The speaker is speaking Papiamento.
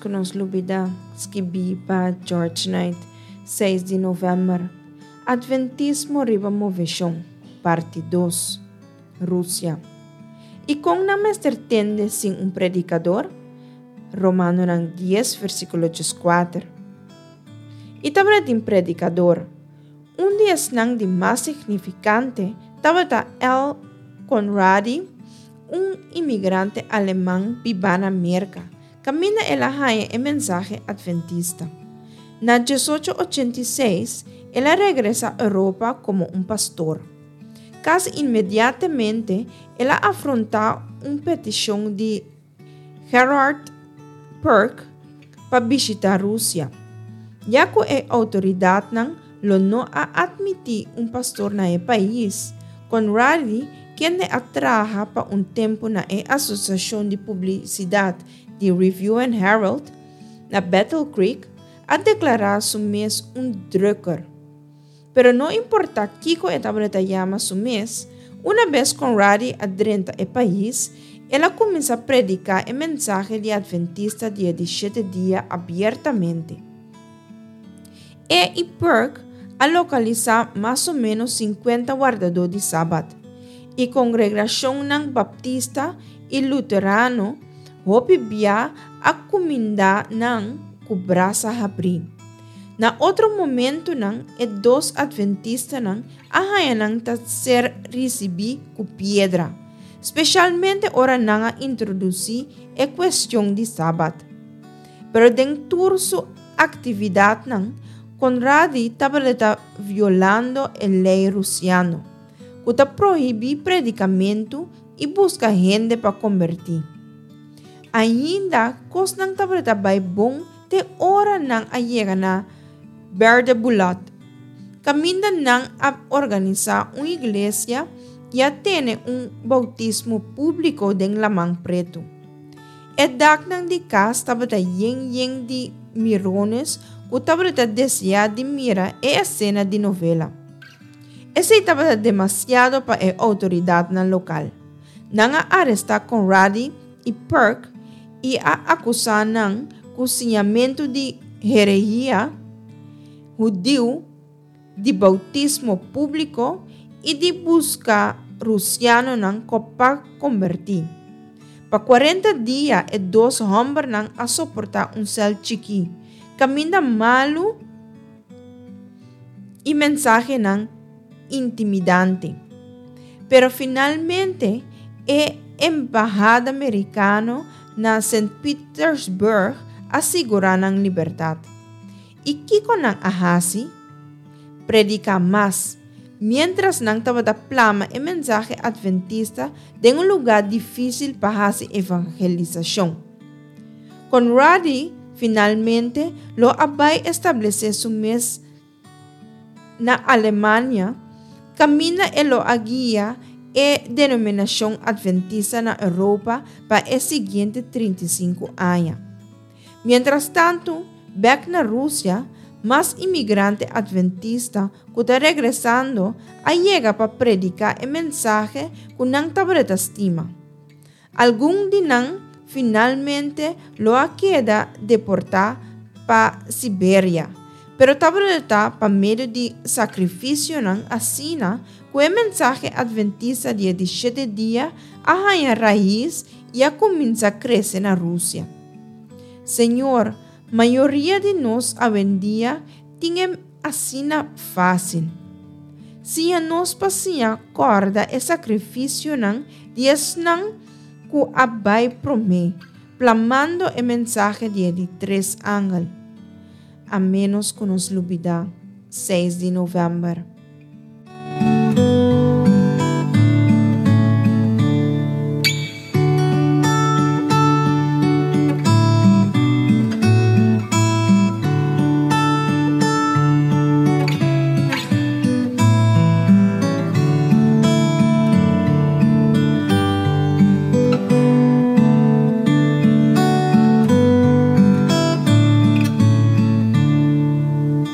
ku nos lubidá, skibí pa George Knight, seis di novèmber. Atventismo riba moveshon, parti dos. Rusia. I kon nan mester tende sin un predikador? Romanonan dies versíkulo dieskuater. I tabatin predikador. Un di esnan di mas signifikante tabata L. Conradi, un imigrante aleman bibá na Merka, kaminda el a haña e mensahe atventista. Na diesocho ochenta i seis, el a regresá Europa komo un pastor. Kasi inmediatamente el a afrontá un petishon di Gerhard Perk pa bishitá Rusia, ya ku e outoridatnan lo no a atmití un pastor na e pais. Conradi, kende a traha pa un tempu na e Asosiashon di Publisidat di Review and Herald na Battle Creek, a deklará su mes un drukker. Pero no importá kiko e tabata yama su mes, una bes Conradi a drenta e pais, el a kuminsá prediká e mensahe di Adventista di e di shete dia abiertamente. E i Perk a lokalisá mas o ménos sinkuenta wardadó di Sabat, i kongregashonnan baptista i luterano hopi bia a kumindá nan ku brasa habrí. Na otro momentunan e dos adventistanan a haña nan ta ser risibí ku piedra, speshalmente ora nan a introdusí e kuestion di Sabat. Pero den tur su aktividatnan, Conradi tabata violando e lei rusiano, ku ta prohibí predikamentu i buska hende pa kombertí. Ainda kosnan tabata bai bon te ora nan a yega na Berdebulot, kaminda nan a organisá un iglesia i a tene un boutismo públiko den Laman Pretu. E daknan di kas tabata yen yen di mirones ku tabata deseá di mira e esena di novela. Esei tabata demasiado pa e outoridatnan lokal. Nan a arestá Conradi i Perk i a akusá nan ku siñamentu di herehia hudiu, di boutismo públiko i di buska rusianonan pa kombertí. Pa kuarenta dia e dos hòmbernan a soportá un sèl chikí, kaminda malu i mensahenan intimidante. Pero finalmente e embahada merikano na Sint Petersburg a sigurá nan libertat. I kiko nan a hasi? Prediká mas, miéntras nan tabata plama e mensahe adventista den un lugá difísil pa hasi evangelisashon. Conradi finalmente lo a bai establesé su mes Na Alemania, kaminda e lo a guia e denominashon adventista na Europa pa e siguiente 35 aña. Mientrastantu, bèk na Rusia, mas imigrante adventista ku ta regresando a yega pa prediká e mensahe ku nan tabata stima. Algun di nan finalmente lo a keda deportá pa Siberia, pero tabata pa medio di sakrifisionan asina ku e mensahe adventista di e di shete dia a haña rais i a kuminsá krese na Rusia. Señor, mayoria di nos awendia tin e asina fásil. Siña nos pa siña kòrda e sakrifisionan di esnan ku a bai promé, plamando e mensahe di e di tres angel. A ménos ku nos lubidá, seis di novèmber.